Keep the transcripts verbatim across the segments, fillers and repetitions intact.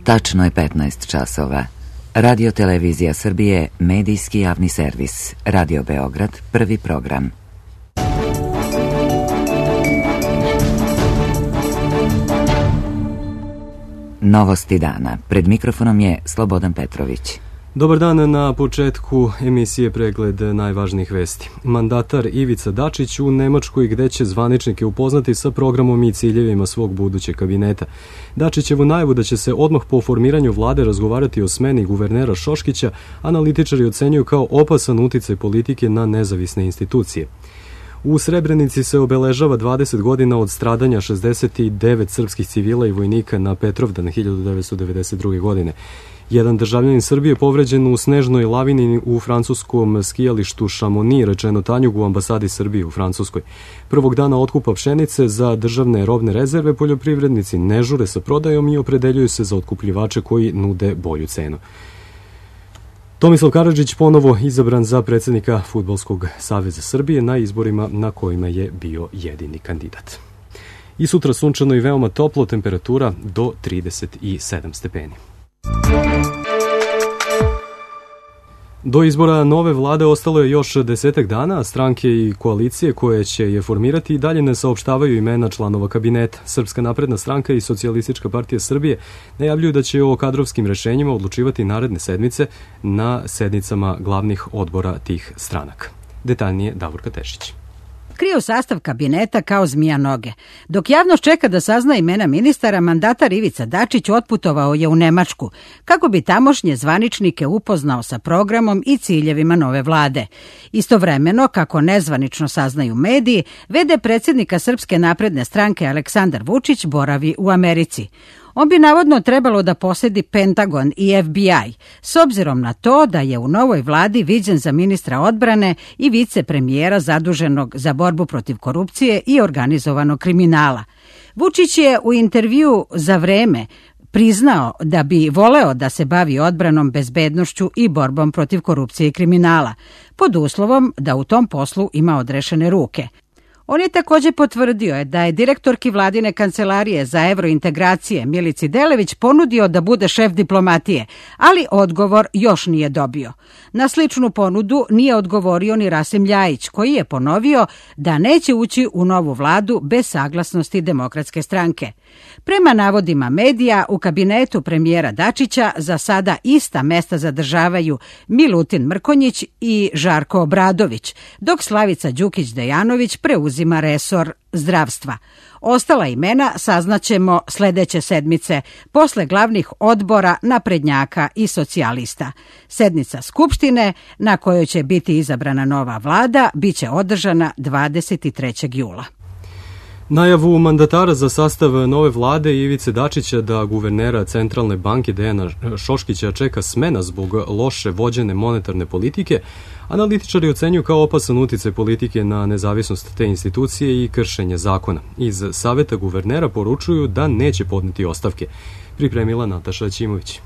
Tačno je petnaest časova. Radio Televizija Srbije, medijski javni servis. Radio Beograd, prvi program. Novosti dana. Pred mikrofonom je Slobodan Petrović. Dobar dan, na početku emisije pregled najvažnijih vesti. Mandatar Ivica Dačić u Nemačkoj, gde će zvaničnike upoznati sa programom i ciljevima svog budućeg kabineta. Dačićevu najavu da će se odmah po formiranju vlade razgovarati o smeni guvernera Šoškića, analitičari ocenjuju kao opasan uticaj politike na nezavisne institucije. U Srebrenici se obeležava dvadeset godina od stradanja šezdeset devet srpskih civila i vojnika na Petrovdan hiljadu devetsto devedeset druge. godine. Jedan državljanin Srbije povređen u snežnoj lavini u francuskom skijalištu Šamoni, rečeno Tanjug u ambasadi Srbije u Francuskoj. Prvog dana otkupa pšenice za državne robne rezerve poljoprivrednici ne žure sa prodajom i opredeljuju se za otkupljivače koji nude bolju cenu. Tomislav Karadžić ponovo izabran za predsjednika Fudbalskog saveza Srbije na izborima na kojima je bio jedini kandidat. I sutra sunčano i veoma toplo, temperatura do trideset sedam stepeni. Do izbora nove vlade ostalo je još desetak dana, a stranke i koalicije koje će je formirati i dalje ne saopštavaju imena članova kabineta. Srpska napredna stranka i Socijalistička partija Srbije najavljuju da će o kadrovskim rešenjima odlučivati naredne sedmice na sednicama glavnih odbora tih stranaka. Detaljnije Davorka Tešić. Kriju sastav kabineta kao zmija noge. Dok javnost čeka da sazna imena ministara, mandatar Ivica Dačić otputovao je u Nemačku, kako bi tamošnje zvaničnike upoznao sa programom i ciljevima nove vlade. Istovremeno, kako nezvanično saznaju mediji, ve de predsjednika Srpske napredne stranke Aleksandar Vučić boravi u Americi. On bi navodno trebalo da posedi Pentagon i F B I, s obzirom na to da je u novoj vladi viđen za ministra odbrane i vicepremijera zaduženog za borbu protiv korupcije i organizovanog kriminala. Vučić je u intervjuu za Vreme priznao da bi voleo da se bavi odbranom, bezbednošću i borbom protiv korupcije i kriminala, pod uslovom da u tom poslu ima odrešene ruke. On je također potvrdio da je direktorki vladine kancelarije za evrointegracije Milici Delević ponudio da bude šef diplomatije, ali odgovor još nije dobio. Na sličnu ponudu nije odgovorio ni Rasim Ljajić, koji je ponovio da neće ući u novu vladu bez saglasnosti Demokratske stranke. Prema navodima medija, u kabinetu premijera Dačića za sada ista mesta zadržavaju Milutin Mrkonjić i Žarko Obradović, dok Slavica Đukić-Dejanović preuzima resor zdravstva. Ostala imena saznaćemo sljedeće sedmice, posle glavnih odbora naprednjaka i socijalista. Sednica Skupštine, na kojoj će biti izabrana nova vlada, biće održana dvadeset trećeg jula. Najavu mandatara za sastav nove vlade Ivice Dačića da guvernera Centralne banke Dejana Šoškića čeka smena zbog loše vođene monetarne politike, analitičari ocenjuju kao opasan uticaj politike na nezavisnost te institucije i kršenje zakona. Iz saveta guvernera poručuju da neće podneti ostavke. Pripremila Nataša Ćimović.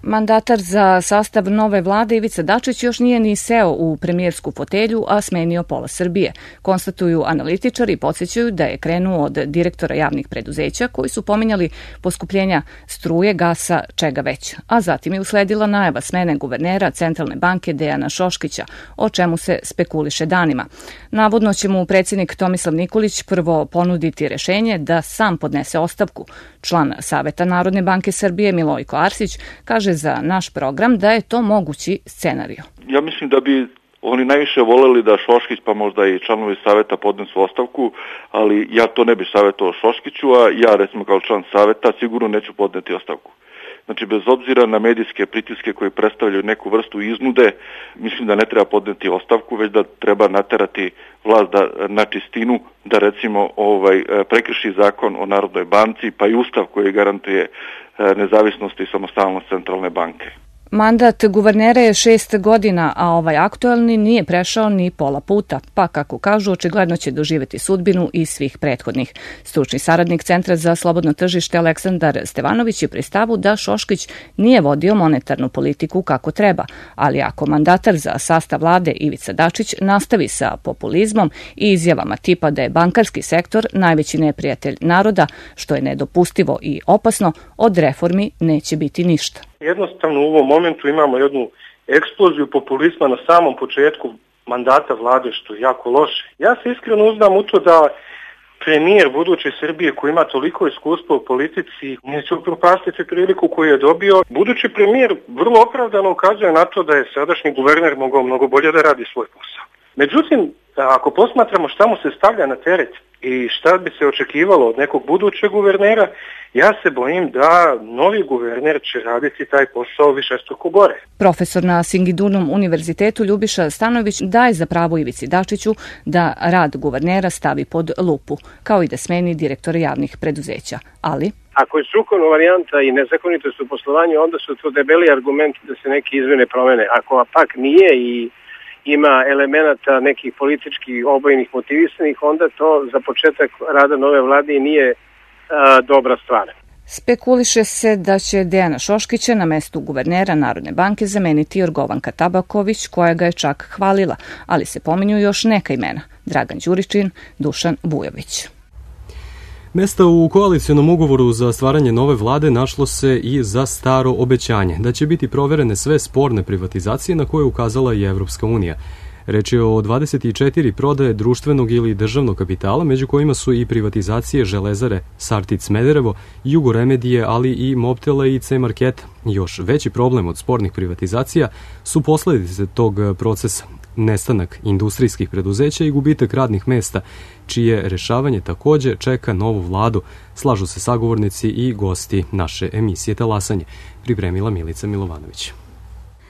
Mandatar za sastav nove vlade Ivica Dačić još nije ni seo u premijersku fotelju, a smenio pola Srbije. Konstatuju analitičari i podsjećaju da je krenuo od direktora javnih preduzeća koji su pominjali poskupljenja struje, gasa, čega već. A zatim je usledila najava smene guvernera Centralne banke Dejana Šoškića, o čemu se spekuliše danima. Navodno će mu predsjednik Tomislav Nikolić prvo ponuditi rešenje da sam podnese ostavku. Član Saveta Narodne banke Srbije Milojko Arsić kaže za naš program da je to mogući scenarij. Ja mislim da bi oni najviše voleli da Šoškić pa možda i članovi saveta podnesu ostavku, ali ja to ne bih savjetovao Šoškiću, a ja recimo kao član saveta sigurno neću podneti ostavku. Znači, bez obzira na medijske pritiske koji predstavljaju neku vrstu iznude, mislim da ne treba podneti ostavku, već da treba naterati vlast da, na čistinu, da recimo ovaj, prekrši zakon o Narodnoj banci, pa i ustav koji garantuje nezavisnost i samostalnost Centralne banke. Mandat guvernera je šest godina, a ovaj aktuelni nije prešao ni pola puta, pa kako kažu, očigledno će doživjeti sudbinu i svih prethodnih. Stručni saradnik Centra za slobodno tržište Aleksandar Stevanović je pri stavu da Šoškić nije vodio monetarnu politiku kako treba, ali ako mandatar za sastav vlade Ivica Dačić nastavi sa populizmom i izjavama tipa da je bankarski sektor najveći neprijatelj naroda, što je nedopustivo i opasno, od reformi neće biti ništa. Jednostavno u ovom momentu imamo jednu eksploziju populizma na samom početku mandata vlade, što je jako loše. Ja se iskreno uzdam u to da premijer buduće Srbije koji ima toliko iskustva u politici neće upropastiti priliku koju je dobio. Budući premijer vrlo opravdano ukazuje na to da je sadašnji guverner mogao mnogo bolje da radi svoj posao. Međutim, ako posmatramo šta mu se stavlja na teret i šta bi se očekivalo od nekog budućeg guvernera, ja se bojim da novi guverner će raditi taj posao višestruko gore. Profesor na Singidunum univerzitetu Ljubiša Stanojević daje za pravo Ivici Dačiću da rad guvernera stavi pod lupu, kao i da smeni direktora javnih preduzeća. Ali ako je strukovna varijanta i nezakonitost u poslovanju, onda su to debeli argumenti da se neke izmene promene. Ako pak nije i ima elemenata nekih političkih obojnih motivisanih, onda to za početak rada nove vlade nije a, dobra stvar. Spekuliše se da će Dejana Šoškića na mestu guvernera Narodne banke zameniti Jorgovanka Tabaković, koja ga je čak hvalila, ali se pominju još neka imena: Dragan Đuričin, Dušan Vujović. Mesta u koalicijonom ugovoru za stvaranje nove vlade našlo se i za staro obećanje da će biti proverene sve sporne privatizacije na koje je ukazala i Evropska unija. Reč je o dvadeset četiri prodaje društvenog ili državnog kapitala, među kojima su i privatizacije Železare Sartid Smederevo, Jugoremedije, ali i Mobtela i C-Marketa. Još veći problem od spornih privatizacija su posledice tog procesa: nestanak industrijskih preduzeća i gubitak radnih mesta, čije rešavanje takođe čeka novu vladu, slažu se sagovornici i gosti naše emisije Talasanje, pripremila Milica Milovanović.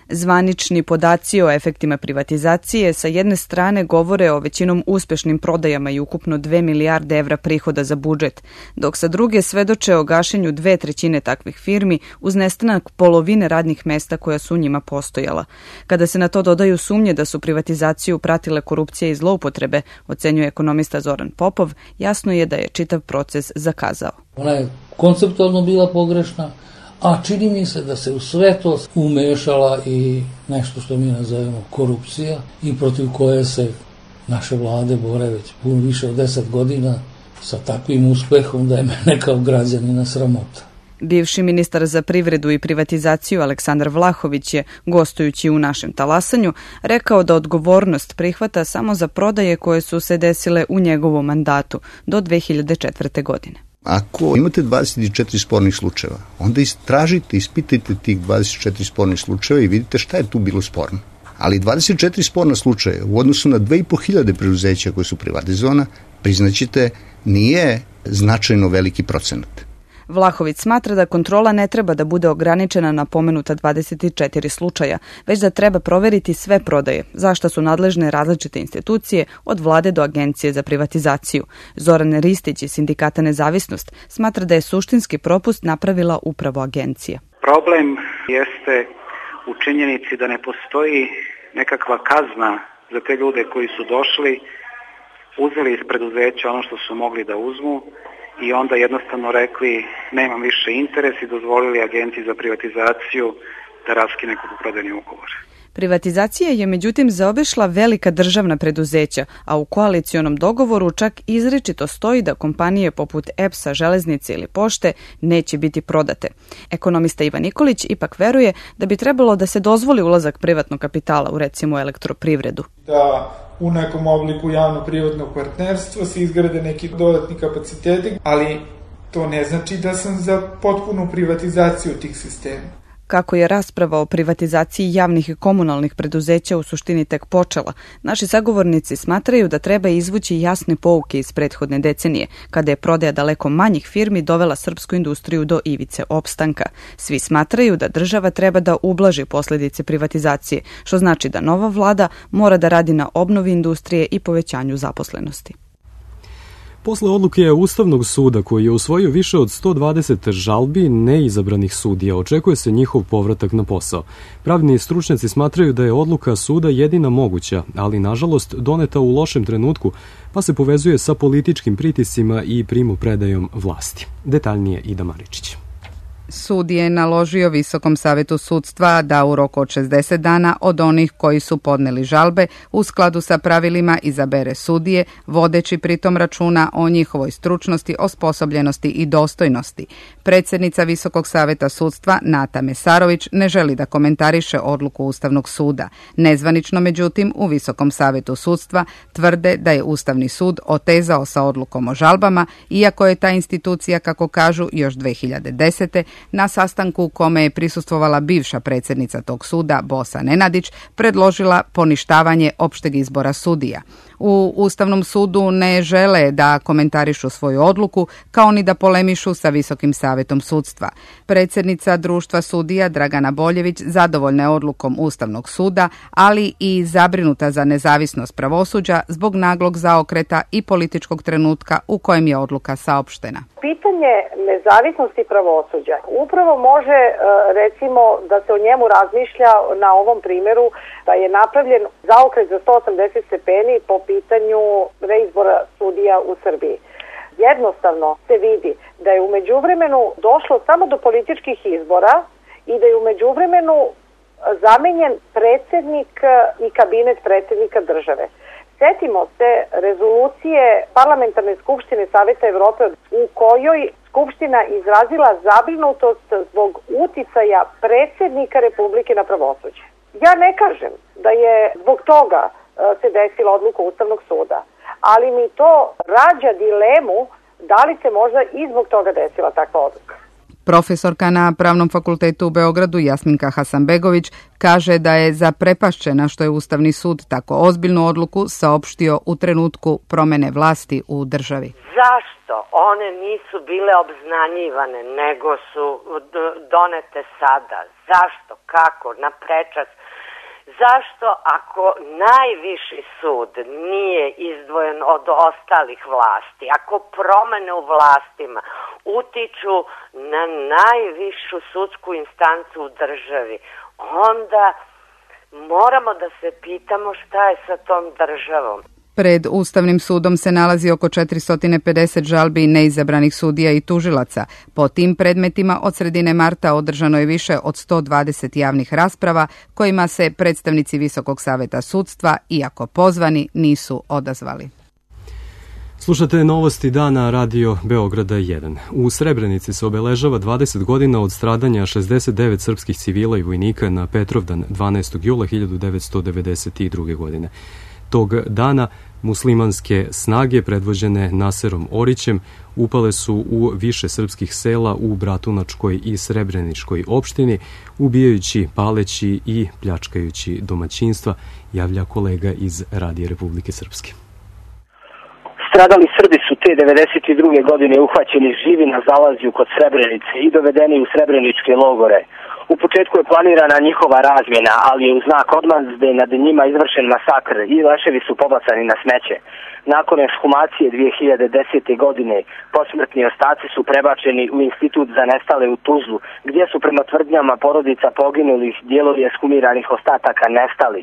Zvanični podaci o efektima privatizacije sa jedne strane govore o većinom uspešnim prodajama i ukupno dve milijarde evra prihoda za budžet, dok sa druge svedoče o gašenju dve trećine takvih firmi uz nestanak polovine radnih mesta koja su njima postojala. Kada se na to dodaju sumnje da su privatizaciju pratile korupcije i zloupotrebe, ocenjuje ekonomista Zoran Popov, jasno je da je čitav proces zakazao. Ona je konceptualno bila pogrešna, a čini mi se da se u sve to umešala i nešto što mi nazovemo korupcija i protiv koje se naše vlade bore već puno više od deset godina sa takvim uspehom da je mene kao građanina sramota. Bivši ministar za privredu i privatizaciju Aleksandar Vlahović je, gostujući u našem Talasanju, rekao da odgovornost prihvata samo za prodaje koje su se desile u njegovom mandatu do dve hiljade četvrte. godine. Ako imate dvadeset četiri spornih slučajeva, onda istražite, ispitajte tih dvadeset četiri spornih slučajeva i vidite šta je tu bilo sporno. Ali dvadeset četiri sporna slučaja u odnosu na dve i po hiljade preduzeća koje su privatizovana, priznaćete, nije značajno veliki procenat. Vlahović smatra da kontrola ne treba da bude ograničena na pomenuta dvadeset četiri slučaja, već da treba proveriti sve prodaje, za šta su nadležne različite institucije od vlade do agencije za privatizaciju. Zoran Ristić iz Sindikata Nezavisnost smatra da je suštinski propust napravila upravo agencija. Problem jeste u činjenici da ne postoji nekakva kazna za te ljude koji su došli, uzeli iz preduzeća ono što su mogli da uzmu i onda jednostavno rekli nemam više interes i dozvolili agenciji za privatizaciju da raskine kupoprodajni ugovor. Privatizacija je međutim zaobišla velika državna preduzeća, a u koalicionom dogovoru čak izričito stoji da kompanije poput E P S-a, Železnice ili Pošte neće biti prodate. Ekonomista Ivan Nikolić ipak veruje da bi trebalo da se dozvoli ulazak privatnog kapitala u recimo elektroprivredu. Da u nekom obliku javno-privatnog partnerstva se izgrade neki dodatni kapaciteti, ali to ne znači da sam za potpunu privatizaciju tih sistema. Kako je rasprava o privatizaciji javnih i komunalnih preduzeća u suštini tek počela, naši sagovornici smatraju da treba izvući jasne pouke iz prethodne decenije, kada je prodaja daleko manjih firmi dovela srpsku industriju do ivice opstanka. Svi smatraju da država treba da ublaži posledice privatizacije, što znači da nova vlada mora da radi na obnovi industrije i povećanju zaposlenosti. Posle odluke Ustavnog suda koji je usvojio više od sto dvadeset žalbi neizabranih sudija, očekuje se njihov povratak na posao. Pravni stručnjaci smatraju da je odluka suda jedina moguća, ali nažalost doneta u lošem trenutku, pa se povezuje sa političkim pritiscima i primopredajom vlasti. Detaljnije Ida Maričić. Sud je naložio Visokom savetu sudstva da u roku od šezdeset dana od onih koji su podneli žalbe u skladu sa pravilima izabere sudije, vodeći pritom računa o njihovoj stručnosti, osposobljenosti i dostojnosti. Predsjednica Visokog saveta sudstva Nata Mesarović ne želi da komentariše odluku Ustavnog suda. Nezvanično, međutim, u Visokom savetu sudstva tvrde da je Ustavni sud otezao sa odlukom o žalbama, iako je ta institucija, kako kažu, još dve hiljade desete na sastanku u kome je prisustvovala bivša predsjednica tog suda, Bosa Nenadić, predložila poništavanje opšteg izbora sudija. U Ustavnom sudu ne žele da komentarišu svoju odluku, kao ni da polemišu sa Visokim savetom sudstva. Predsjednica Društva sudija Dragana Boljević zadovoljna je odlukom Ustavnog suda, ali i zabrinuta za nezavisnost pravosuđa zbog naglog zaokreta i političkog trenutka u kojem je odluka saopštena. Pitanje nezavisnosti pravosuđa upravo može, recimo, da se o njemu razmišlja na ovom primjeru, da je napravljen zaokret za sto osamdeset stepeni po pitanju reizbora sudija u Srbiji. Jednostavno se vidi da je u međuvremenu došlo samo do političkih izbora i da je u međuvremenu zamenjen predsjednik i kabinet predsjednika države. Sjetimo se rezolucije Parlamentarne skupštine Saveta Evrope u kojoj Skupština izrazila zabrinutost zbog uticaja predsjednika Republike na pravosuđe. Ja ne kažem da je zbog toga se desila odluka Ustavnog suda, ali mi to rađa dilemu da li se možda i zbog toga desila takva odluka. Profesorka na Pravnom fakultetu u Beogradu Jasminka Hasanbegović kaže da je zaprepašćena što je Ustavni sud tako ozbiljnu odluku saopštio u trenutku promene vlasti u državi. Zašto one nisu bile obznanjivane, nego su donete sada? Zašto? Kako? Na prečac? Zašto ako najviši sud nije izdvojen od ostalih vlasti, ako promene u vlastima utiču na najvišu sudsku instancu u državi, onda moramo da se pitamo šta je sa tom državom. Pred Ustavnim sudom se nalazi oko četiristo pedeset žalbi neizabranih sudija i tužilaca. Po tim predmetima od sredine marta održano je više od sto dvadeset javnih rasprava kojima se predstavnici Visokog saveta sudstva, iako pozvani, nisu odazvali. Slušate novosti dana Radio Beograda jedan. U Srebrenici se obeležava dvadeset godina od stradanja šezdeset devet srpskih civila i vojnika na Petrovdan dvanaestog jula hiljadu devetsto devedeset druge. godine. Tog dana muslimanske snage predvođene Naserom Orićem upale su u više srpskih sela u Bratunačkoj i Srebreničkoj opštini, ubijajući, paleći i pljačkajući domaćinstva, javlja kolega iz Radija Republike Srpske. Stradali Srbi su te devedeset druge. godine uhvaćeni živi na zalazju kod Srebrenice i dovedeni u srebreničke logore. U početku je planirana njihova razmjena, ali je u znak odmazde nad njima izvršen masakr i leševi su pobacani na smeće. Nakon ekshumacije dve hiljade desete. godine posmrtni ostaci su prebačeni u Institut za nestale u Tuzlu, gdje su prema tvrdnjama porodica poginulih dijelovi ekshumiranih ostataka nestali.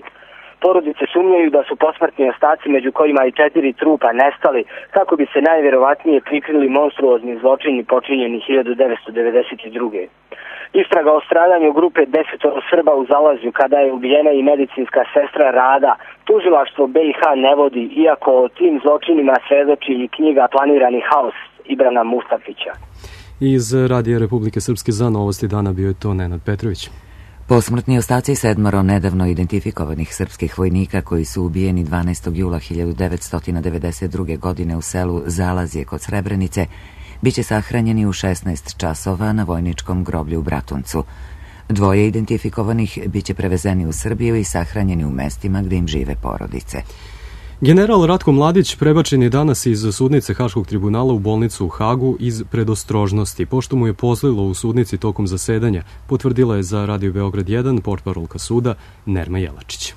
Porodice sumnjaju da su posmrtni ostaci, među kojima i četiri trupa, nestali kako bi se najvjerovatnije prikrili monstruozni zločini počinjeni hiljadu devetsto devedeset druge. Istraga o stradanju grupe desetoro Srba u Zalazju kada je ubijena i medicinska sestra Rada, tužilaštvo B i H ne vodi, iako o tim zločinima svedoči i knjiga Planirani haos Ibrana Mustafića. Iz Radija Republike Srpske za novosti dana bio je to Nenad Petrović. Posmrtni ostaci sedmoro nedavno identifikovanih srpskih vojnika koji su ubijeni dvanaestog jula hiljadu devetsto devedeset druge. godine u selu Zalazje kod Srebrenice biće sahranjeni u šesnaest časova na vojničkom groblju u Bratuncu. Dvoje identifikovanih biće prevezeni u Srbiju i sahranjeni u mestima gdje im žive porodice. General Ratko Mladić prebačen je danas iz sudnice Haškog tribunala u bolnicu u Hagu iz predostrožnosti, pošto mu je pozlilo u sudnici tokom zasedanja, potvrdila je za Radio Beograd jedan portparolka suda Nerma Jelačić.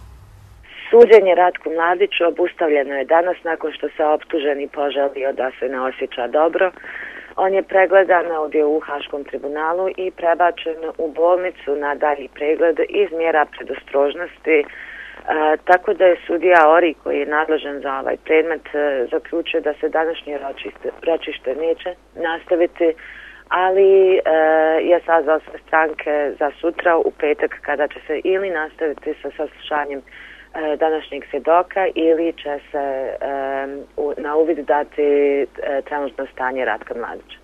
Suđenje Ratku Mladiću obustavljeno je danas nakon što se optuženi požalio da se ne osjeća dobro. On je pregledan ovdje u Haškom tribunalu i prebačen u bolnicu na dalji pregled iz mjera predostrožnosti. E, tako da je sudija Ori, koji je nadležan za ovaj predmet, e, zaključio da se današnje ročište, ročište neće nastaviti, ali e, je sazvao sve stranke za sutra u petak kada će se ili nastaviti sa saslušanjem e, današnjeg svjedoka ili će se e, u, na uvid dati e, trenutno stanje Ratka Mladića.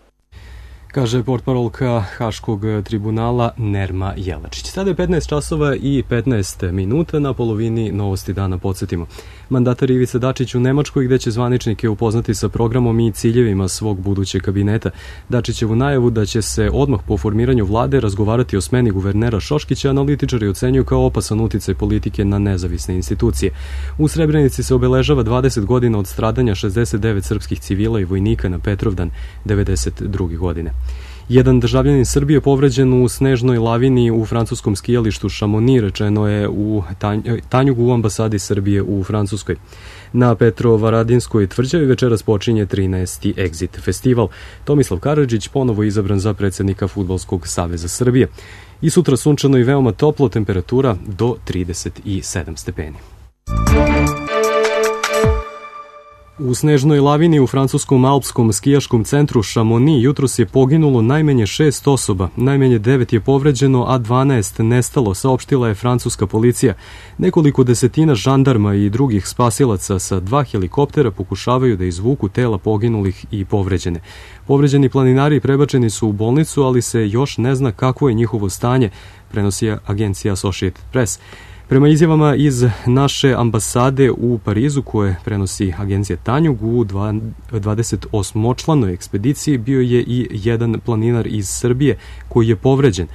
Kaže portparolka Haškog tribunala Nerma Jelačić. Sada je petnaest časova i petnaest minuta, na polovini novosti dana podsjetimo. Mandatar Ivica Dačić u Nemačkoj, gde će zvaničnike upoznati sa programom i ciljevima svog budućeg kabineta. Dačićevu najavu da će se odmah po formiranju vlade razgovarati o smeni guvernera Šoškića analitičari ocenjuju kao opasan uticaj politike na nezavisne institucije. U Srebrenici se obeležava dvadeset godina od stradanja šezdeset devet srpskih civila i vojnika na Petrovdan devedeset druge godine. Jedan državljanin Srbije povređen u snežnoj lavini u francuskom skijalištu Chamonix, rečeno je u Tanjugu u ambasadi Srbije u Francuskoj. Na Petrovaradinskoj tvrđavi večeras počinje trinaesti Exit festival. Tomislav Karadžić ponovo izabran za predsjednika Fudbalskog saveza Srbije. I sutra sunčano i veoma toplo, temperatura do trideset sedam stepeni. U snežnoj lavini u francuskom alpskom skijaškom centru Chamonix jutros je poginulo najmanje šest osoba, najmanje devet je povređeno, a dvanaest nestalo, saopštila je francuska policija. Nekoliko desetina žandarma i drugih spasilaca sa dva helikoptera pokušavaju da izvuku tela poginulih i povređene. Povređeni planinari prebačeni su u bolnicu, ali se još ne zna kakvo je njihovo stanje, prenosi agencija Associated Press. Prema izjavama iz naše ambasade u Parizu, koje prenosi agencija Tanjug, u dvadesetosmočlanoj ekspediciji bio je i jedan planinar iz Srbije koji je povređen.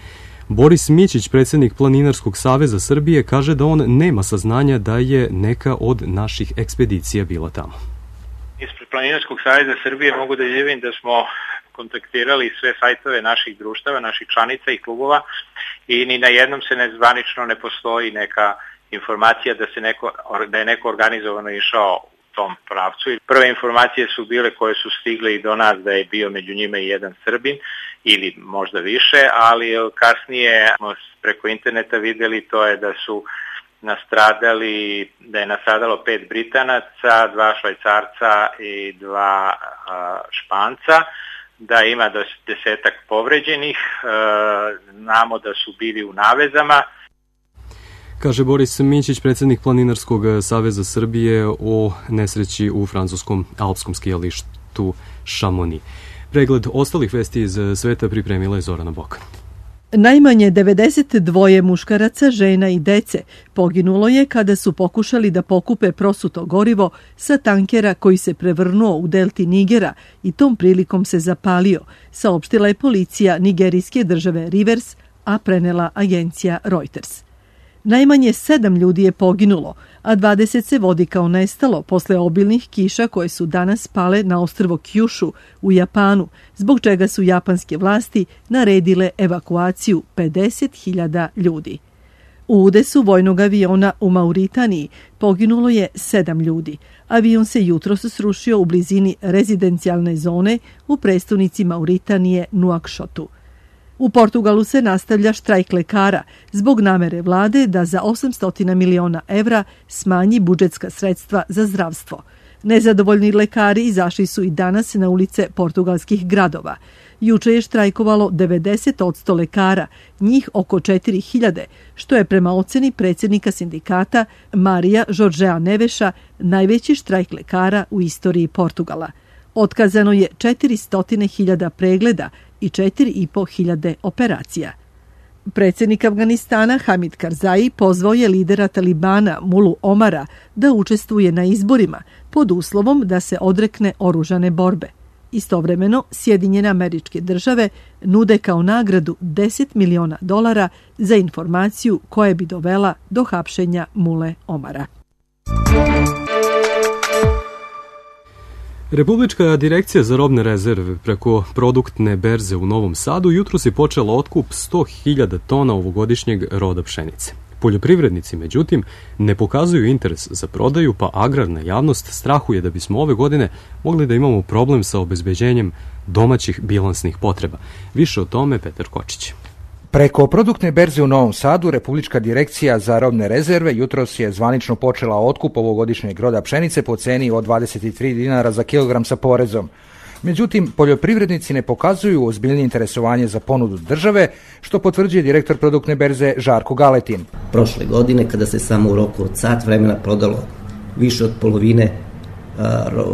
Boris Mićić, predsjednik Planinarskog saveza Srbije, kaže da on nema saznanja da je neka od naših ekspedicija bila tamo. Ispred Planinarskog saveza Srbije mogu da izjavim da smo kontaktirali sve sajtove naših društava, naših članica i klubova i ni na jednom se nezvanično ne postoji neka informacija da se neko, da je neko organizovano išao u tom pravcu. Prve informacije su bile koje su stigle i do nas da je bio među njima i jedan Srbin ili možda više, ali kasnije preko interneta videli to je da su nastradali, da je nastradalo pet Britanaca, dva Švajcarca i dva a, Španca, da ima do desetak povređenih, e, znamo da su bili u navezama. Kaže Boris Mićić, predsjednik Planinarskog saveza Srbije, o nesreći u francuskom alpskom skijalištu Chamonix. Pregled ostalih vesti iz sveta pripremila je Zorana Bokan. Najmanje devedeset dva muškaraca, žena i dece poginulo je kada su pokušali da pokupe prosuto gorivo sa tankera koji se prevrnuo u delti Nigera i tom prilikom se zapalio, saopštila je policija nigerijske države Rivers, a prenela agencija Reuters. Najmanje sedam ljudi je poginulo, a dvadeset se vodi kao nestalo posle obilnih kiša koje su danas pale na ostrvo Kyushu u Japanu, zbog čega su japanske vlasti naredile evakuaciju pedeset hiljada ljudi. U udesu vojnog aviona u Mauritaniji poginulo je sedam ljudi. Avion se jutros srušio u blizini rezidencijalne zone u prestonici Mauritanije Nuakšotu. U Portugalu se nastavlja štrajk lekara zbog namere vlade da za osamsto miliona evra smanji budžetska sredstva za zdravstvo. Nezadovoljni lekari izašli su i danas na ulice portugalskih gradova. Juče je štrajkovalo devedeset posto lekara, njih oko četiri hiljade, što je prema oceni predsjednika sindikata Marija Žoržea Neveša najveći štrajk lekara u istoriji Portugala. Otkazano je četiristo hiljada pregleda i četiri i po hiljade operacija. Predsjednik Afganistana Hamid Karzai pozvao je lidera Talibana Mulu Omara da učestvuje na izborima pod uslovom da se odrekne oružane borbe. Istovremeno, Sjedinjene Američke Države nude kao nagradu deset miliona dolara za informaciju koja bi dovela do hapšenja Mule Omara. Republička direkcija za robne rezerve preko produktne berze u Novom Sadu jutros je počela otkup sto hiljada tona ovogodišnjeg roda pšenice. Poljoprivrednici, međutim, ne pokazuju interes za prodaju, pa agrarna javnost strahuje da bismo ove godine mogli da imamo problem sa obezbeđenjem domaćih bilansnih potreba. Više o tome Petar Kočić. Preko produktne berze u Novom Sadu, Republička direkcija za robne rezerve jutros je zvanično počela otkup ovogodišnjeg roda pšenice po ceni od dvadeset tri dinara za kilogram sa porezom. Međutim, poljoprivrednici ne pokazuju ozbiljnije interesovanje za ponudu države, što potvrđuje direktor produktne berze Žarko Galetin. Prošle godine, kada se samo u roku od sat vremena prodalo više od polovine a, ro,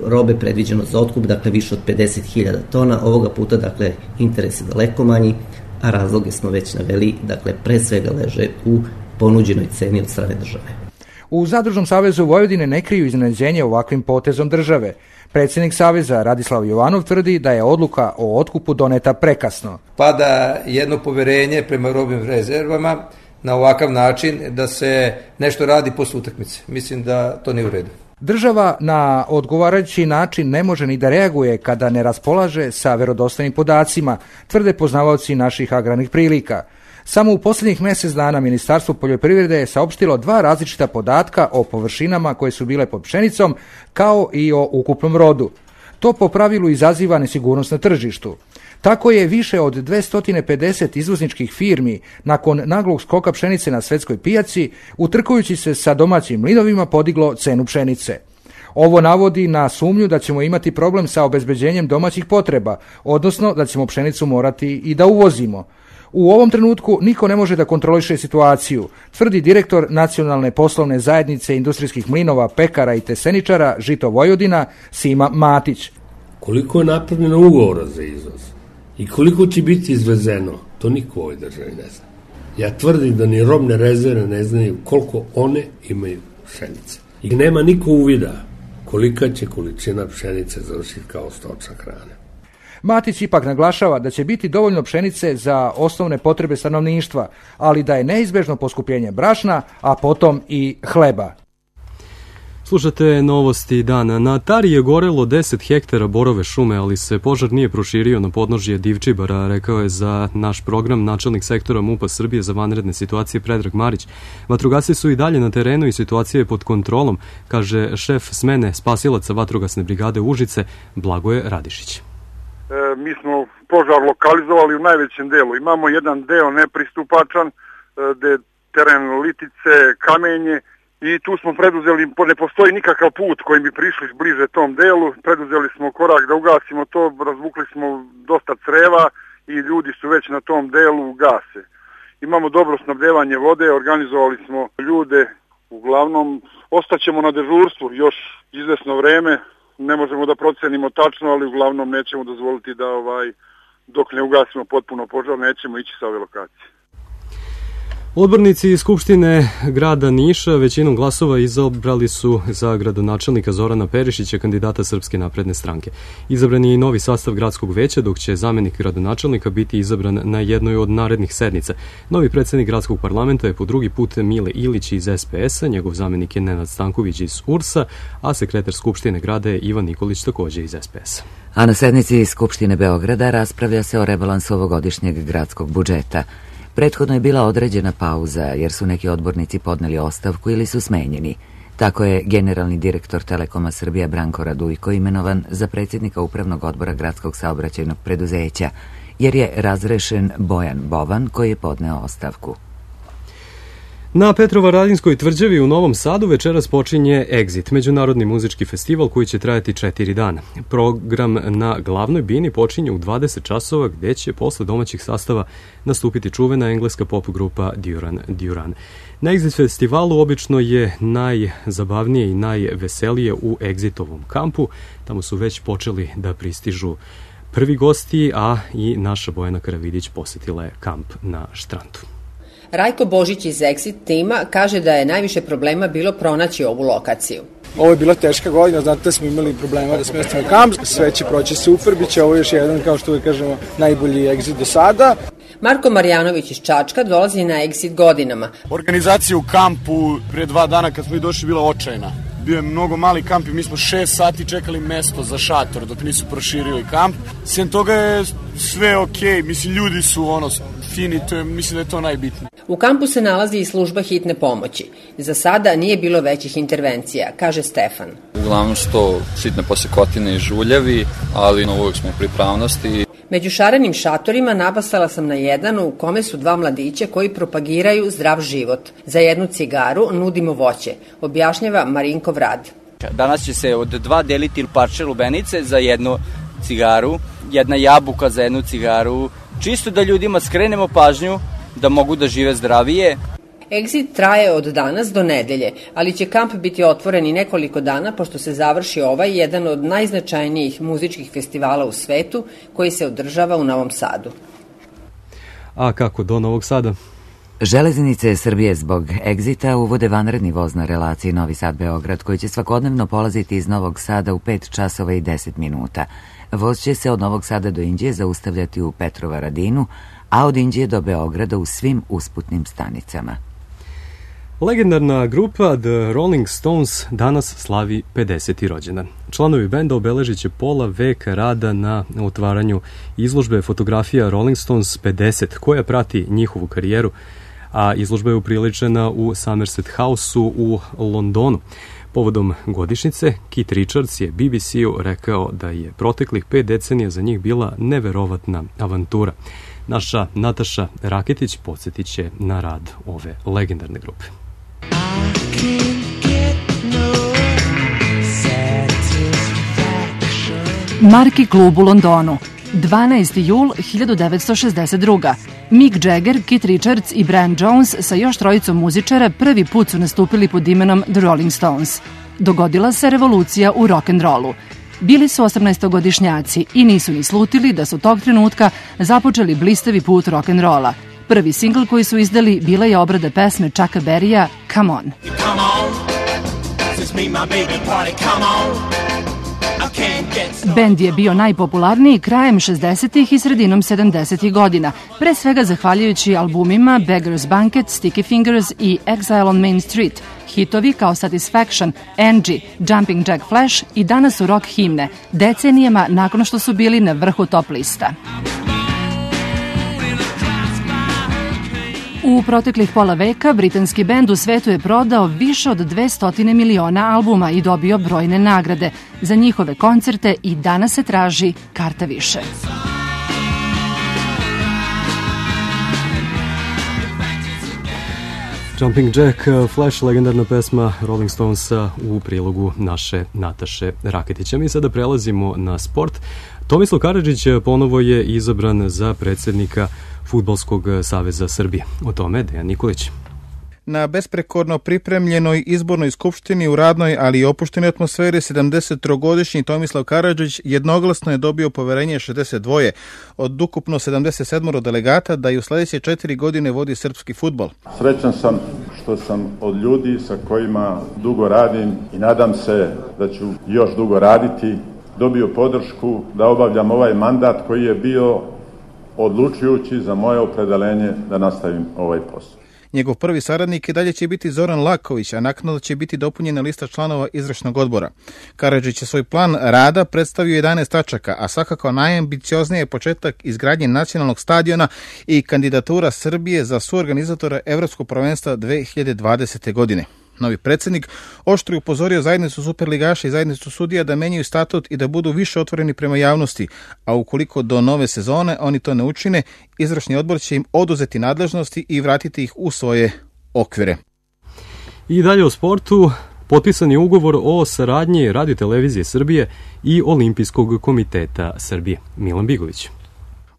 robe predviđeno za otkup, dakle više od pedeset hiljada tona, ovoga puta dakle interes je daleko manji, a razloge smo već naveli, dakle pre svega leže u ponuđenoj ceni od strane države. U Zadružnom savezu Vojvodine ne kriju iznenađenje ovakvim potezom države. Predsjednik Saveza Radislav Jovanov tvrdi da je odluka o otkupu doneta prekasno. Pada jedno poverenje prema robnim rezervama na ovakav način da se nešto radi posle utakmice. Mislim da to nije u redu. Država na odgovarajući način ne može ni da reaguje kada ne raspolaže sa verodostojnim podacima, tvrde poznavaoci naših agrarnih prilika. Samo u posljednjih mjesec dana Ministarstvo poljoprivrede je saopštilo dva različita podatka o površinama koje su bile pod pšenicom, kao i o ukupnom rodu. To po pravilu izaziva nesigurnost na tržištu. Tako je više od dvesta pedeset izvozničkih firmi nakon naglog skoka pšenice na svetskoj pijaci, utrkujući se sa domaćim mlinovima, podiglo cenu pšenice. Ovo navodi na sumnju da ćemo imati problem sa obezbeđenjem domaćih potreba, odnosno da ćemo pšenicu morati i da uvozimo. U ovom trenutku niko ne može da kontroliše situaciju, tvrdi direktor Nacionalne poslovne zajednice industrijskih mlinova, pekara i teseničara Žito Vojvodina Sima Matić. Koliko je napravljeno ugovora za izvoz i koliko će biti izvezeno, to niko u ovoj državi ne zna. Ja tvrdim da ni robne rezerve ne znaju koliko one imaju pšenice. I nema niko uvida kolika će količina pšenice završiti kao stočna hrana. Matić ipak naglašava da će biti dovoljno pšenice za osnovne potrebe stanovništva, ali da je neizbežno poskupljenje brašna, a potom i hleba. Slušate novosti dana. Na Tari je gorelo deset hektara borove šume, ali se požar nije proširio na podnožje Divčibara, rekao je za naš program načelnik sektora MUP-a Srbije za vanredne situacije Predrag Marić. Vatrogasci su i dalje na terenu i situacija je pod kontrolom, kaže šef smene spasilaca vatrogasne brigade Užice Blagoje Radišić. E, mi smo požar lokalizovali u najvećem delu. Imamo jedan deo nepristupačan, e, gde je teren litice, kamenje, i tu smo preduzeli, ne postoji nikakav put kojim bi prišli bliže tom delu, preduzeli smo korak da ugasimo to, razvukli smo dosta creva i ljudi su već na tom delu gase. Imamo dobro snabdevanje vode, organizovali smo ljude, uglavnom ostaćemo na dežurstvu još izvesno vreme, ne možemo da procenimo tačno, ali uglavnom nećemo dozvoliti da ovaj, dok ne ugasimo potpuno požar, nećemo ići sa ove lokacije. Odbornici iz Skupštine grada Niša većinom glasova izabrali su za gradonačelnika Zorana Perišića, kandidata Srpske napredne stranke. Izabran je i novi sastav gradskog veća, dok će zamenik gradonačelnika biti izabran na jednoj od narednih sednica. Novi predsjednik gradskog parlamenta je po drugi put Mile Ilić iz S P S-a, njegov zamenik je Nenad Stanković iz U R S-a, a sekretar Skupštine grada je Ivan Nikolić također iz S P S-a. A na sednici Skupštine Beograda raspravlja se o rebalansu ovogodišnjeg gradskog budžeta. Prethodno je bila određena pauza jer su neki odbornici podneli ostavku ili su smenjeni. Tako je generalni direktor Telekoma Srbija Branko Radujko imenovan za predsjednika upravnog odbora gradskog saobraćajnog preduzeća, jer je razrešen Bojan Bovan koji je podneo ostavku. Na Petrovaradinskoj tvrđavi u Novom Sadu večeras počinje Exit, međunarodni muzički festival koji će trajati četiri dana. Program na glavnoj bini počinje u dvadeset časova gdje će posle domaćih sastava nastupiti čuvena engleska pop grupa Duran Duran. Na Exit festivalu obično je najzabavnije i najveselije u Exitovom kampu. Tamo su već počeli da pristižu prvi gosti, a i naša Bojana Karavidić posjetila je kamp na Štrandu. Rajko Božić iz Exit tima kaže da je najviše problema bilo pronaći ovu lokaciju. Ovo je bila teška godina, znate da smo imali problema da smestimo kamp, sve će proći super, bit će ovo još jedan, kao što uvijek kažemo, najbolji Exit do sada. Marko Marjanović iz Čačka dolazi na Exit godinama. Organizacija u kampu prije dva dana kad smo i došli bila očajna. Bio je mnogo mali kamp i mi smo šest sati čekali mesto za šator dok nisu proširili kamp. Sem toga je sve okej, mislim ljudi su ono fini, to je, mislim da je to najbitnije. U kampu se nalazi i služba hitne pomoći. Za sada nije bilo većih intervencija, kaže Stefan. Uglavnom su to sitne posekotine i žuljevi, ali uvijek smo u pripravnosti. Među šarenim šatorima napasala sam na jedan u kome su dva mladića koji propagiraju zdrav život. Za jednu cigaru nudimo voće, objašnjava Marinkov Rad. Danas će se od dva deliti parče lubenice za jednu cigaru, jedna jabuka za jednu cigaru, čisto da ljudima skrenemo pažnju da mogu da žive zdravije. Exit traje od danas do nedelje, ali će kamp biti otvoren i nekoliko dana pošto se završi ovaj jedan od najznačajnijih muzičkih festivala u svetu koji se održava u Novom Sadu. A kako do Novog Sada? Železnice Srbije zbog Exita uvode vanredni voz na relaciji Novi Sad-Beograd koji će svakodnevno polaziti iz Novog Sada u pet časova i deset minuta. Voz će se od Novog Sada do Inđije zaustavljati u Petrovaradinu, a od Inđije do Beograda u svim usputnim stanicama. Legendarna grupa The Rolling Stones danas slavi pedeseti rođendan. Članovi benda obeležit će pola veka rada na otvaranju izložbe fotografija Rolling Stones pedeset, koja prati njihovu karijeru, a izložba je upriličena u Somerset House-u u Londonu. Povodom godišnjice, Keith Richards je B B C-u rekao da je proteklih pet decenija za njih bila neverovatna avantura. Naša Nataša Raketić podsjetit će na rad ove legendarne grupe. Marki klub u Londonu. dvanaesti jul hiljadu devetsto šezdeset druge. Mick Jagger, Keith Richards i Brian Jones sa još trojicom muzičara prvi put su nastupili pod imenom The Rolling Stones. Dogodila se revolucija u rock'n'rollu. Bili su osamnaestogodišnjaci i nisu ni slutili da su tog trenutka započeli blistavi put rock'n'rolla. Prvi singl koji su izdali bila je obrada pesme Chucka Berrya Come On. Bend je bio najpopularniji krajem šezdesetih i sredinom sedamdesetih godina, pre svega zahvaljujući albumima Beggar's Banquet, Sticky Fingers i Exile on Main Street. Hitovi kao Satisfaction, Angie, Jumping Jack Flash i danas su rock himne, decenijama nakon što su bili na vrhu top lista. U proteklih pola veka britanski bend u svetu je prodao više od dvesta miliona albuma i dobio brojne nagrade. Za njihove koncerte i danas se traži karta više. Jumping Jack Flash, legendarna pesma Rolling Stonesa u prilogu naše Nataše Raketića. Mi sada prelazimo na sport. Tomislav Karadžić ponovo je izabran za predsjednika Fudbalskog saveza Srbije. O tome Dejan Nikolić. Na besprekorno pripremljenoj izbornoj skupštini u radnoj, ali i opuštenoj atmosferi sedamdesettrogodišnji Tomislav Karadžić jednoglasno je dobio poverenje šezdeset dva od ukupno sedamdeset sedam delegata da i u sledeće četiri godine vodi srpski fudbal. Srećan sam što sam od ljudi sa kojima dugo radim i nadam se da ću još dugo raditi, dobio podršku da obavljam ovaj mandat koji je bio odlučujući za moje opredeljenje da nastavim ovaj posao. Njegov prvi saradnik i dalje će biti Zoran Laković, a naknadno će biti dopunjena lista članova izvršnog odbora. Karadžić je svoj plan rada predstavio jedanaest tačaka, a svakako najambiciozniji je početak izgradnje nacionalnog stadiona i kandidatura Srbije za suorganizatora Evropskog prvenstva dve hiljade dvadesete. godine. Novi predsjednik oštro je upozorio zajednicu superligaša i zajednicu sudija da menjaju statut i da budu više otvoreni prema javnosti, a ukoliko do nove sezone oni to ne učine, izvršni odbor će im oduzeti nadležnosti i vratiti ih u svoje okvire. I dalje o sportu. Potpisan je ugovor o saradnji Radio-televizije Srbije i Olimpijskog komiteta Srbije. Milan Bigović.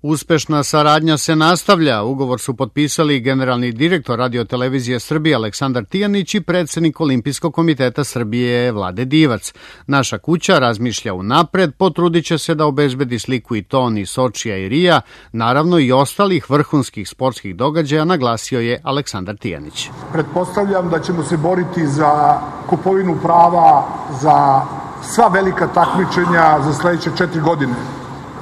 Uspešna saradnja se nastavlja. Ugovor su potpisali generalni direktor Radio-televizije Srbije Aleksandar Tijanić i predsjednik Olimpijskog komiteta Srbije Vlade Divac. Naša kuća razmišlja unapred, potrudit će se da obezbedi sliku i ton iz Sočija i Rija, naravno i ostalih vrhunskih sportskih događaja, naglasio je Aleksandar Tijanić. Pretpostavljam da ćemo se boriti za kupovinu prava za sva velika takmičenja za sledeće četiri godine.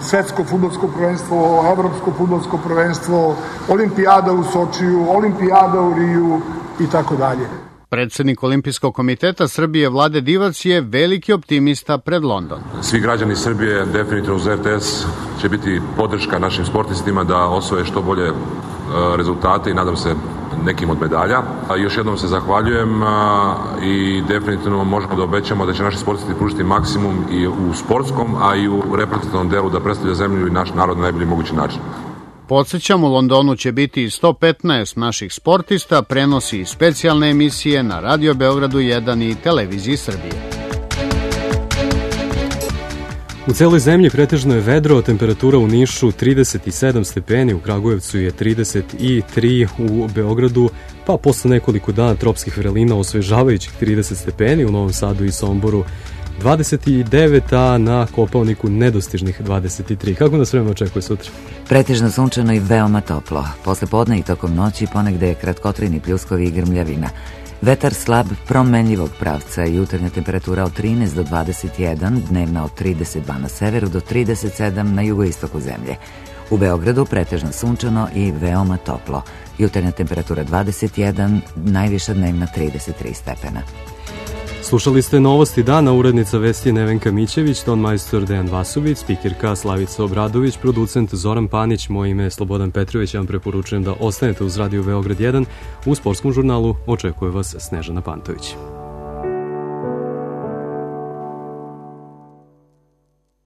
Svetsko fudbalsko prvenstvo, evropsko fudbalsko prvenstvo, olimpijada u Sočiju, olimpijada u Riju i tako dalje. Predsjednik Olimpijskog komiteta Srbije Vlade Divac je veliki optimista pred London. Svi građani Srbije definitivno uz R T S će biti podrška našim sportistima da osvoje što bolje rezultate i nadam se nekim od medalja. A još jednom se zahvaljujem i definitivno možemo da obećamo da će naši sportisti pružiti maksimum i u sportskom, a i u reprezentativnom delu da predstavlja zemlju i naš narod na najbolji mogući način. Podsjećam, u Londonu će biti sto petnaest naših sportista, prenosi i specijalne emisije na Radio Beogradu jedan i Televiziji Srbije. U celoj zemlji pretežno je vedro, temperatura u Nišu trideset sedam stepeni, u Kragujevcu je trideset tri, u Beogradu, pa posle nekoliko dana tropskih vrelina osvežavajućih trideset stepeni, u Novom Sadu i Somboru dvadeset devet, a na Kopaoniku nedostižnih dvadeset tri. Kako nas vreme očekuje sutra? Pretežno sunčano i veoma toplo. Posle podne i tokom noći ponegde je kratkotrajni pljuskovi i grmljavina. Vetar slab promenljivog pravca i jutarnja temperatura od trinaest do dvadeset jedan, dnevna od trideset dva na severu do trideset sedam na jugoistoku zemlje. U Beogradu pretežno sunčano i veoma toplo. Jutarnja temperatura dvadeset jedan, najviša dnevna trideset tri stepena. Slušali ste Novosti dana, urednica vesti Nevenka Mićević, ton majstor Dejan Vasović, spikirka Slavica Obradović, producent Zoran Panić, moje ime je Slobodan Petrović, ja vam preporučujem da ostanete uz Radio Beograd jedan. U sportskom žurnalu očekuje vas Snežana Pantović.